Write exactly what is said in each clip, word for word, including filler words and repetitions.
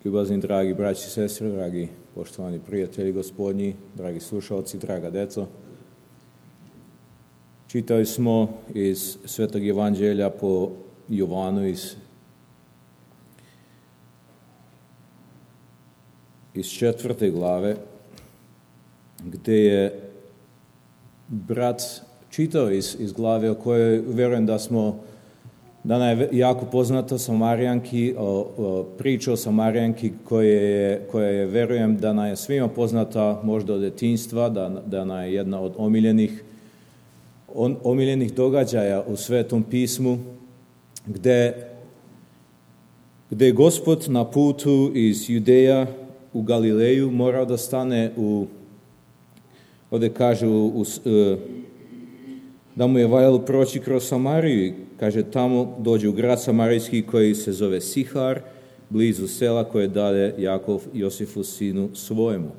Ljubazni dragi braći i sestre, dragi poštovani prijatelji gospodnji, dragi slušalci, draga deco. Čitali smo iz Svetog Evanđelja po Jovanu iz, iz četvrte glave, gdje je brat čitao iz, iz glave o kojoj vjerujem da smo da nam je jako poznato Samarijanki, o, o priča o Samarijanki koja je, koja je, verujem, da nam je svima poznata možda od djetinjstva, da, da nam je jedna od omiljenih, on, omiljenih događaja u Svetom pismu, gdje, gdje je Gospod na putu iz Judeja u Galileju morao da stane u, ovdje kaže, u, u, da mu je valjalo proći kroz Samariju. Kaže, tamo dođe u grad Samarijski koji se zove Sihar, blizu sela koje dade Jakov Josifu sinu svojemu.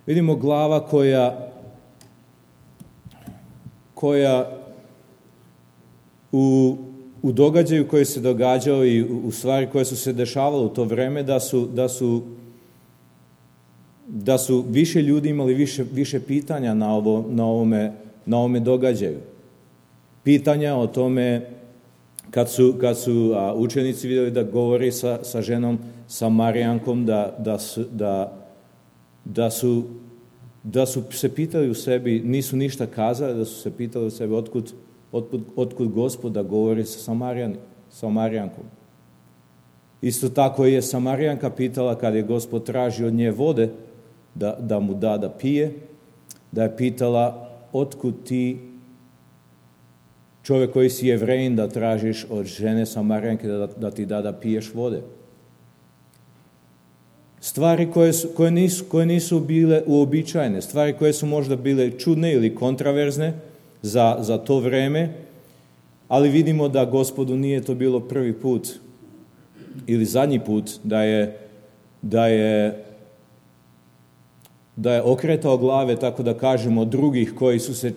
Vidimo glava koja, koja u, u događaju koji se događao i u, u stvari koje su se dešavale u to vreme, da su, da su, da su više ljudi imali više, više pitanja na, ovo, na, ovome, na ovome događaju. Pitanja o tome kad su, kad su a, učenici vidjeli da govori sa, sa ženom Samarijankom, da, da, su, da, da, su, da su se pitali u sebi, nisu ništa kazali, da su se pitali u sebi otkud, otkud, otkud Gospod da govori sa Samarijan, Samarijankom. Isto tako je Samarijanka pitala kad je Gospod traži od nje vode da, da mu da da pije, da je pitala otkud ti, čovjek koji si Jevrejin, da tražiš od žene Samarijanke da, da ti da da piješ vode. Stvari koje, su, koje, nisu, koje nisu bile uobičajene, stvari koje su možda bile čudne ili kontraverzne za, za to vreme, ali vidimo da Gospodu nije to bilo prvi put ili zadnji put da je, da je, da je okretao glave, tako da kažemo, drugih koji su se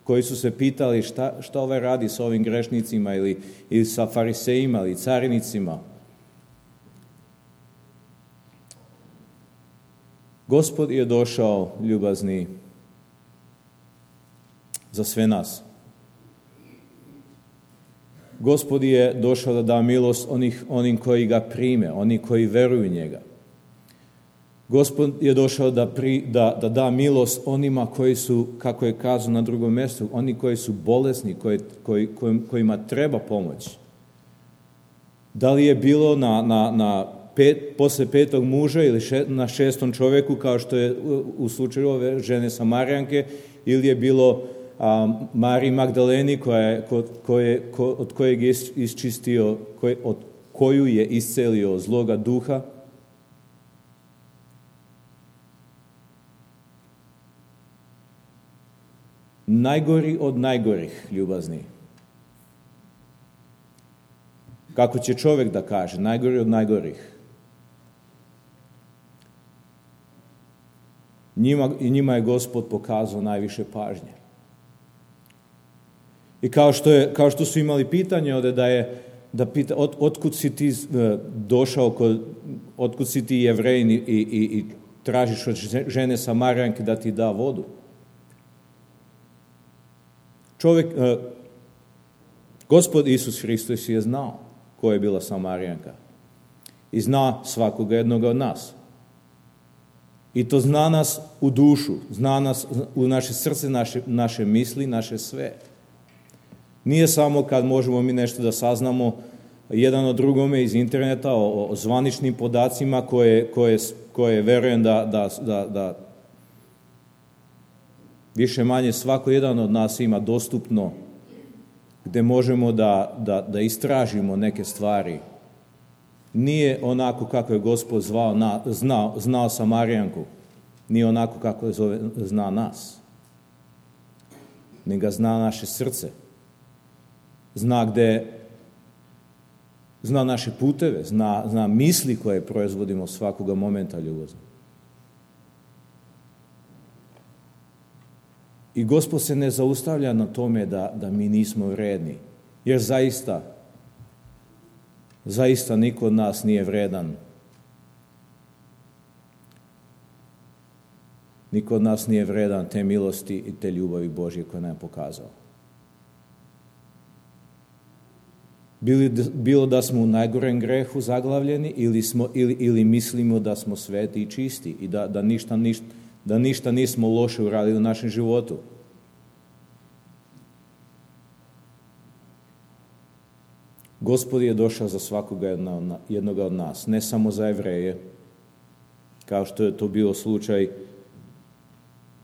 koji su se pitali šta, šta ovaj radi sa ovim grešnicima ili, ili sa farisejima ili carinicima. Gospod je došao, ljubazni, za sve nas. Gospod je došao da da milost onih, onim koji ga prime, oni koji veruju njega. Gospod je došao da, pri, da, da da milost onima koji su, kako je kazao na drugom mjestu, oni koji su bolesni, koji, koji, kojima treba pomoć. Da li je bilo na, na, na pet, posle petog muža ili še, na šestom čovjeku, kao što je u, u slučaju ove žene Samarijanke, ili je bilo a, Mariji Magdaleni koja, ko, koje, ko, od kojeg je isčistio, koje, od koju je iscelio zloga duha. Najgori od najgorih, ljubazni. Kako će čovjek da kaže, najgori od najgorih. Njima, i njima je Gospod pokazao najviše pažnje. I kao što, je, kao što su imali pitanje ovdje da je, da pita, od, otkud si ti došao, kod, otkud si ti Jevrejin i, i, i tražiš od žene Samarijanke da ti da vodu. Čovjek, eh, Gospod Isus Hristos je znao ko je bila Samarijanka i zna svakoga jednoga od nas. I to zna nas u dušu, zna nas u naše srce, naše, naše misli, naše sve. Nije samo kad možemo mi nešto da saznamo jedan od drugome iz interneta o, o zvaničnim podacima koje, koje, koje verujem da, da, da, da više manje svako jedan od nas ima dostupno, gdje možemo da, da, da istražimo neke stvari. Nije onako kako je Gospod zvao na, znao, znao Samarijanku, nije onako kako je zove, zna nas. Nego zna naše srce. Zna gdje, zna naše puteve, zna, zna misli koje proizvodimo svakoga momenta ljubazni. I Gospod se ne zaustavlja na tome da, da mi nismo vredni. Jer zaista, zaista niko od nas nije vredan Niko od nas nije vredan te milosti i te ljubavi Božje koje nam je pokazao. Bilo da smo u najgorem grehu zaglavljeni ili, smo, ili, ili mislimo da smo sveti i čisti i da, da, ništa, ništa, da ništa nismo loše uradili u našem životu. Gospod je došao za svakoga jednoga od nas, ne samo za Jevreje, kao što je to bio slučaj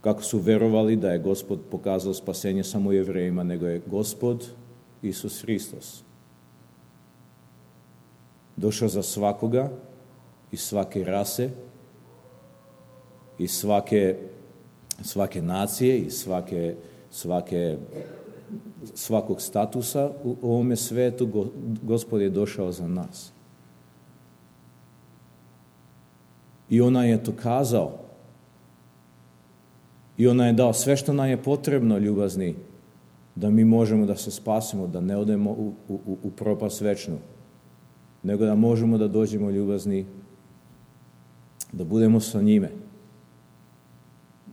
kako su verovali da je Gospod pokazao spasenje samo Jevrejima, nego je Gospod Isus Hristos došao za svakoga iz svake rase, iz svake, svake nacije, iz svake, svake, svakog statusa u ovome svetu. Gospod je došao za nas. I ona je to kazao. I ona je dao sve što nam je potrebno, ljubazni, da mi možemo da se spasimo, da ne odemo u, u, u propast večnu, nego da možemo da dođemo, ljubazni, da budemo sa njime,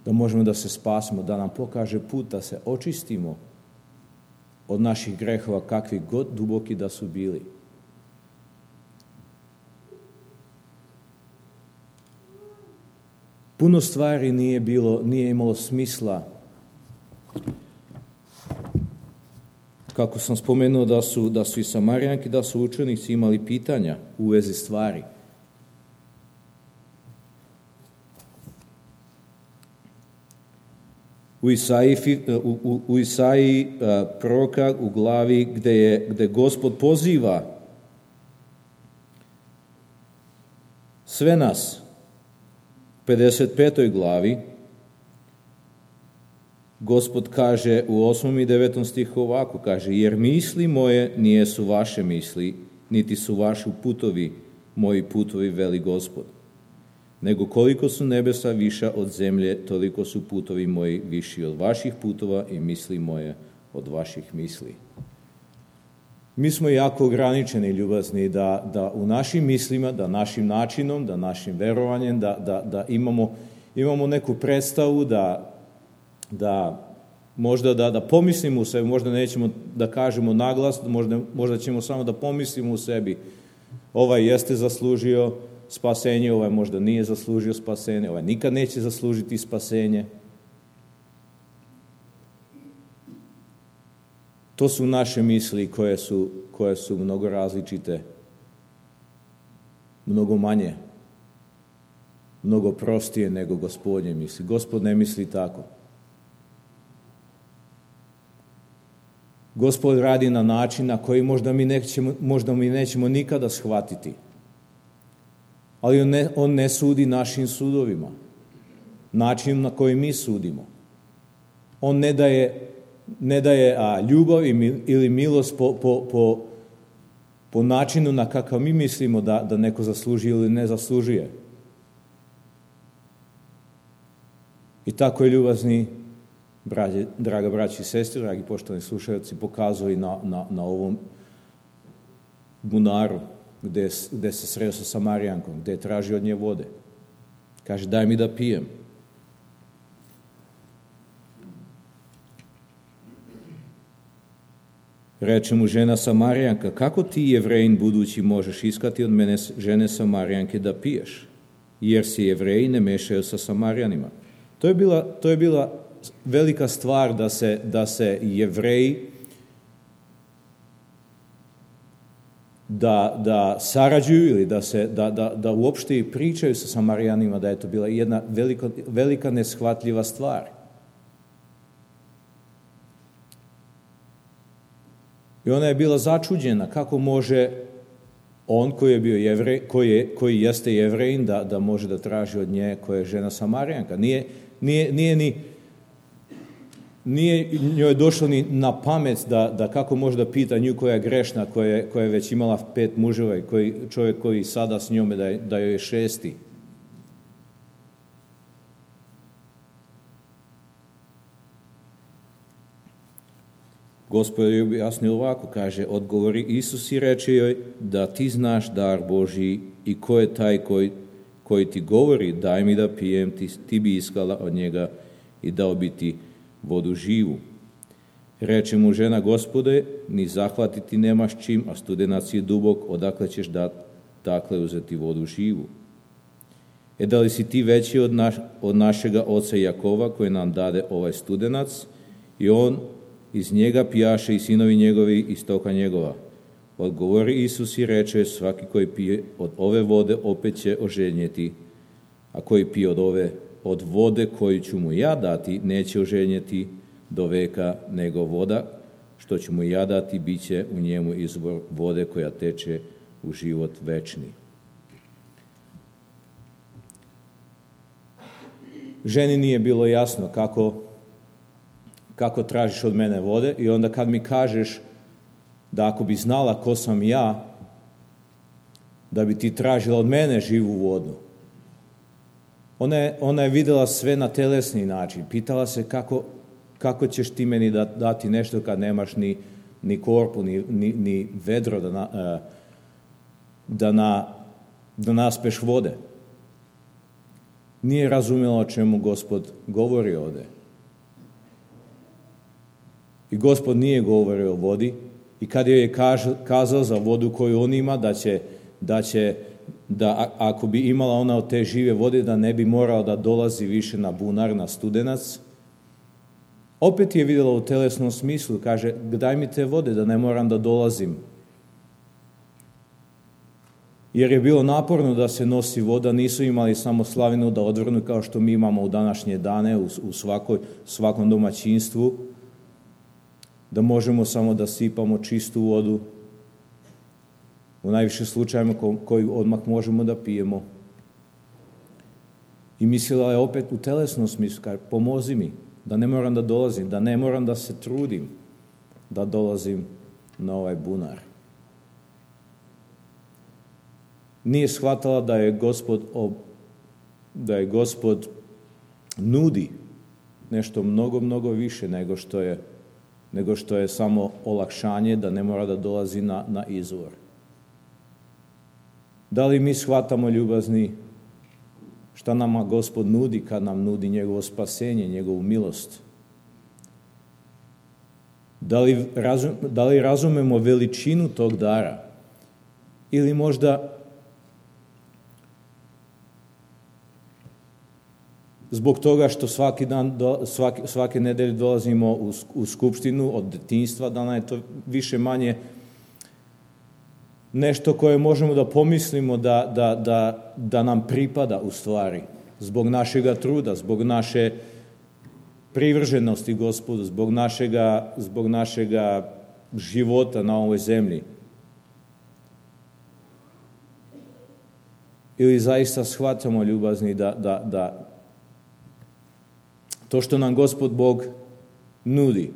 da možemo da se spasimo, da nam pokaže put, da se očistimo od naših grehova, kakvi god duboki da su bili. Puno stvari nije bilo, nije imalo smisla. Kako sam spomenuo da su, da su i Samarijanki, da su učenici imali pitanja u vezi stvari. U Isaiji, u, u, u Isaiji proroka u glavi gde, je, gde Gospod poziva sve nas, pedeset petoj glavi, Gospod kaže u osmom i devetom stihu ovako, kaže: jer misli moje nijesu vaše misli, niti su vaši putovi moji putovi, veli Gospod. Nego koliko su nebesa viša od zemlje, toliko su putovi moji viši od vaših putova i misli moje od vaših misli. Mi smo jako ograničeni, ljubazni, da, da u našim mislima, da našim načinom, da našim verovanjem, da, da, da imamo, imamo neku predstavu, da, da možda da, da pomislimo u sebi, možda nećemo da kažemo naglas, možda, možda ćemo samo da pomislimo u sebi, ovaj jeste zaslužio spasenje, ovaj možda nije zaslužio spasenje, ovaj nikad neće zaslužiti spasenje. To su naše misli koje su, koje su mnogo različite, mnogo manje, mnogo prostije nego Gospodnje misli. Gospod ne misli tako. Gospod radi na način na koji možda mi nećemo, možda mi nećemo nikada shvatiti. Ali on ne, on ne sudi našim sudovima, način na koji mi sudimo. On ne daje ne daje a, ljubav ili milost po, po, po, po načinu na kakav mi mislimo da, da neko zaslužuje ili ne zaslužuje. I tako je, ljubazni braće, draga braći i sestri, dragi poštovani slušalci, pokazuje na, na, na ovom bunaru gde, gde se sreo sa Samarijankom, gde je tražio od nje vode. Kaže: daj mi da pijem. Reče mu žena Samarijanka: kako ti, Jevrejin budući, možeš iskati od mene, žene Samarijanke, da piješ? Jer se Jevreji ne mešaju sa Samarijanima. To je bila, to je bila velika stvar da se, da se Jevreji da, da sarađuju ili da, se, da, da, da uopšte i pričaju sa Samarijanima, da je to bila jedna velika, velika neshvatljiva stvar. I ona je bila začuđena kako može on koji je bio Jevrej, koji, je, koji jeste Jevrejin, da, da može da traži od nje koja je žena Samarijanka. Nije, nije, nije, ni, nije njoj došlo ni na pamet da, da kako može da pita nju koja je grešna, koja je, koja je već imala pet muževa i koji, čovjek koji sada s njome da, je, da joj je šesti. Gospod je objasnio ovako, kaže: odgovori Isus i reče joj: da ti znaš dar Božji i ko je taj koji, koji ti govori daj mi da pijem, ti, ti bi iskala od njega i dao bi ti vodu živu. Reče mu žena, Gospode, ni zahvatiti nemaš čim, a studenac je dubok, odakle ćeš da dakle uzeti vodu živu? E da li si ti veći od, naš, od našega oca Jakova koji nam dade ovaj studenac i on iz njega pijaše i sinovi njegovi iz toka njegova? Odgovori Isus i reče, svaki koji pije od ove vode opet će oženjeti, a koji pije od ove od vode koju ću mu ja dati neće oženjeti do veka, nego voda što ću mu ja dati bit će u njemu izvor vode koja teče u život večni. Ženi nije bilo jasno kako, kako tražiš od mene vode i onda kad mi kažeš da ako bi znala ko sam ja, da bi ti tražila od mene živu vodu. Ona je, ona je vidjela sve na telesni način. Pitala se kako, kako ćeš ti meni dati nešto kad nemaš ni, ni korpu, ni, ni, ni vedro da, na, da, na, da naspeš vode. Nije razumjela o čemu Gospod govori ovdje. I Gospod nije govorio o vodi i kad joj je kazao za vodu koju on ima, da će, da će da ako bi imala ona od te žive vode, da ne bi morala da dolazi više na bunar, na studenac, opet je vidjela u telesnom smislu, kaže, daj mi te vode da ne moram da dolazim. Jer je bilo naporno da se nosi voda, nisu imali samo slavinu da odvrnu kao što mi imamo u današnje dane, u, u svakoj, svakom domaćinstvu, da možemo samo da sipamo čistu vodu, u najviše slučajima ko, koju odmah možemo da pijemo. I mislila je opet u telesnom smislu, kaže, pomozi mi, da ne moram da dolazim, da ne moram da se trudim da dolazim na ovaj bunar. Nije shvatala da je Gospod, da je Gospod nudi nešto mnogo, mnogo više nego što je, nego što je samo olakšanje da ne mora da dolazi na, na izvor. Da li mi shvatamo, ljubazni, šta nama Gospod nudi kad nam nudi njegovo spasenje, njegovu milost? Da li, razum, da li razumemo veličinu tog dara? Ili možda zbog toga što svaki dan, svaki, svake nedelje dolazimo u, u skupštinu od detinjstva, da nam je to više manje nešto koje možemo da pomislimo da, da, da, da nam pripada u stvari. Zbog našega truda, zbog naše privrženosti Gospodu, zbog našega, zbog našega života na ovoj zemlji. Ili zaista shvatamo, ljubazni, da, da, da to što nam Gospod Bog nudi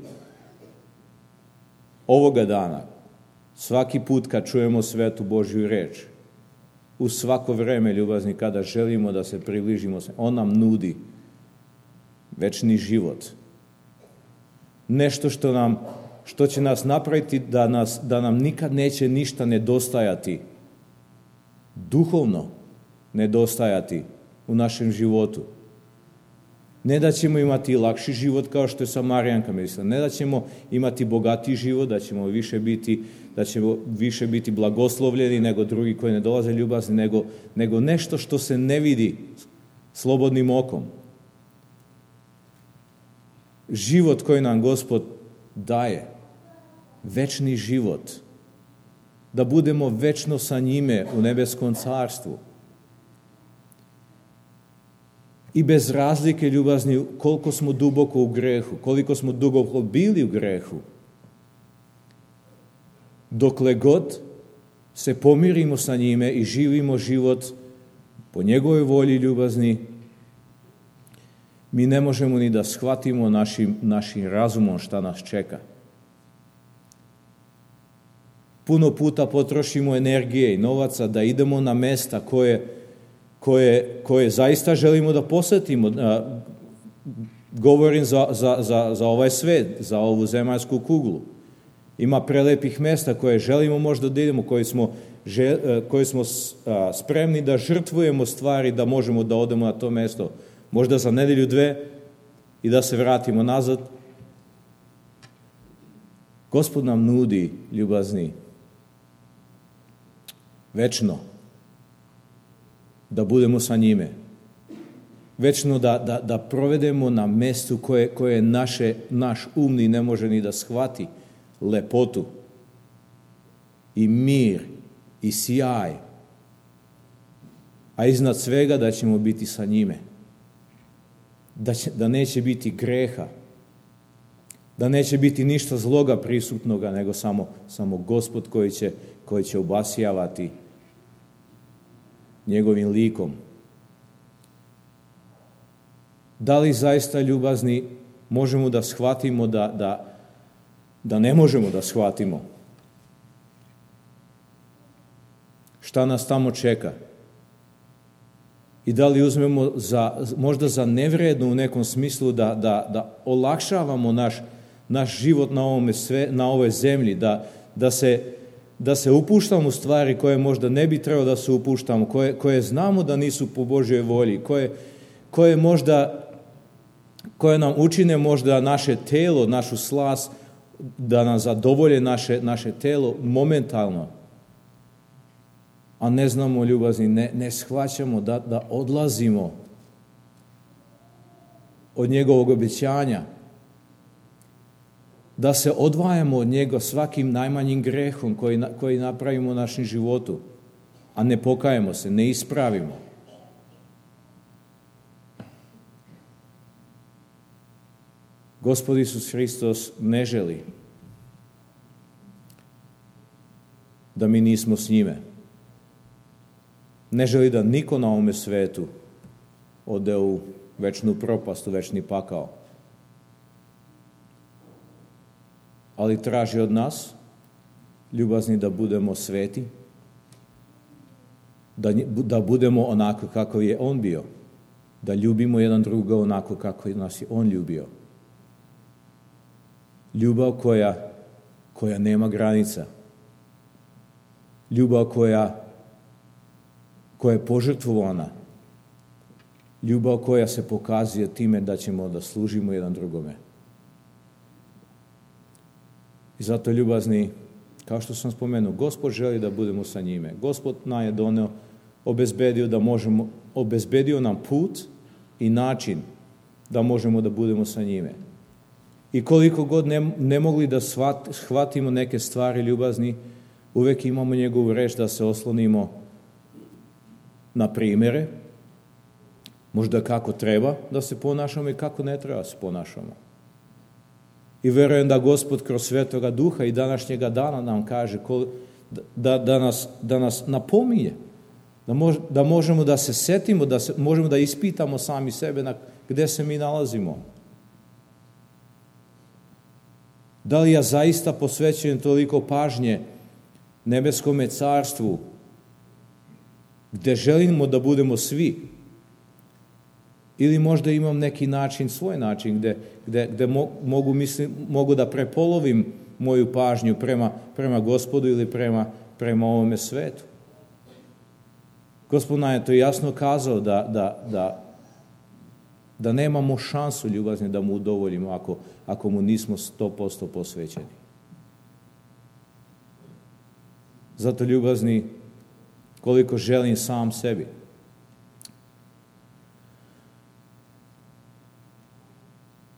ovoga dana, svaki put kad čujemo svetu Božju reč, u svako vreme, ljubazni, kada želimo da se približimo, on nam nudi večni život. Nešto što, nam, što će nas napraviti da, nas, da nam nikad neće ništa nedostajati, duhovno nedostajati u našem životu. Ne da ćemo imati lakši život kao što je Samarijanka mislila, ne da ćemo imati bogatiji život, da ćemo više biti, da ćemo više biti blagoslovljeni nego drugi koji ne dolaze ljubazni, nego, nego nešto što se ne vidi slobodnim okom. Život koji nam Gospod daje, večni život, da budemo večno sa njime u nebeskom carstvu. I bez razlike, ljubazni, koliko smo duboko u grehu, koliko smo duboko bili u grehu, dokle god se pomirimo sa njime i živimo život po njegovoj volji, ljubazni, mi ne možemo ni da shvatimo našim, našim razumom šta nas čeka. Puno puta potrošimo energije i novaca da idemo na mesta koje Koje, koje zaista želimo da posjetimo. Govorim za, za, za, za ovaj svet, za ovu zemaljsku kuglu. Ima prelepih mesta koje želimo možda da idemo, koje smo, koje smo spremni da žrtvujemo stvari da možemo da odemo na to mesto. Možda za nedelju dve i da se vratimo nazad. Gospod nam nudi, ljubazni, večno da budemo sa njime. Večno da, da, da provedemo na mestu koje, koje naše, naš umni ne može ni da shvati lepotu i mir i sjaj. A iznad svega da ćemo biti sa njime. Da, će, da neće biti greha. Da neće biti ništa zloga prisutnoga, nego samo, samo Gospod koji će, koji će obasjavati njegovim likom. Da li zaista, ljubazni, možemo da shvatimo da, da, da ne možemo da shvatimo šta nas tamo čeka? I da li uzmemo za, možda za nevredno u nekom smislu da, da, da olakšavamo naš, naš život na, ovome sve, na ovoj zemlji, da, da, se, da se upuštamo u stvari koje možda ne bi trebalo da se upuštamo, koje, koje znamo da nisu po Božjoj volji, koje, koje možda koje nam učine možda naše telo, našu slast, da nam zadovolje naše, naše telo momentalno. A ne znamo, ljubazni, ne, ne shvaćamo da, da odlazimo od njegovog obećanja, da se odvajamo od njega svakim najmanjim grehom koji, koji napravimo u našem životu, a ne pokajemo se, ne ispravimo. Gospod Isus Hristos ne želi da mi nismo s njime. Ne želi da niko na ovome svetu ode u večnu propast, u večni pakao. Ali traži od nas, ljubazni, da budemo sveti, da, da budemo onako kako je on bio, da ljubimo jedan druga onako kako nas je on ljubio. Ljubav koja, koja nema granica. Ljubav koja, koja je požrtvovana. Ljubav koja se pokazuje time da ćemo da služimo jedan drugome. I zato, ljubazni, kao što sam spomenuo, Gospod želi da budemo sa njime. Gospod nam je doneo, obezbedio da možemo, obezbedio nam put i način da možemo da budemo sa njime. I koliko god ne, ne mogli da shvat, shvatimo neke stvari, ljubazni, uvek imamo njegovu reč da se oslonimo na primjere, možda kako treba da se ponašamo i kako ne treba da se ponašamo. I verujem da Gospod kroz Svetoga Duha i današnjega dana nam kaže da, da, nas, da nas napominje, da, mož, da možemo da se setimo, da se, možemo da ispitamo sami sebe na gde se mi nalazimo. Da li ja zaista posvećujem toliko pažnje nebeskome carstvu, gde želimo da budemo svi? Ili možda imam neki način, svoj način, gde, gde, gde mogu, mislim, mogu da prepolovim moju pažnju prema, prema Gospodu ili prema, prema ovome svetu. Gospod nam je to jasno kazao da, da, da, da nemamo šansu, ljubazni, da mu udovoljimo ako, ako mu nismo sto posto posvećeni. Zato, ljubazni, koliko želim sam sebi,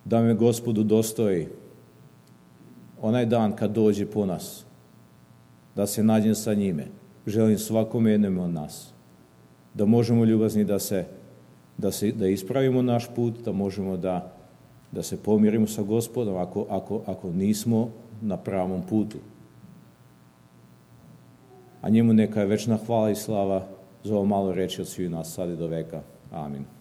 da me Gospodu dostoji onaj dan kad dođe po nas, da se nađem sa njime. Želim svakom jednom od nas da možemo, ljubazni, da se, da se da ispravimo naš put, da možemo da, da se pomirimo sa Gospodom ako, ako, ako nismo na pravom putu. A njemu neka je večna hvala i slava za ovo malo reči od svih nas sad i do veka. Amin.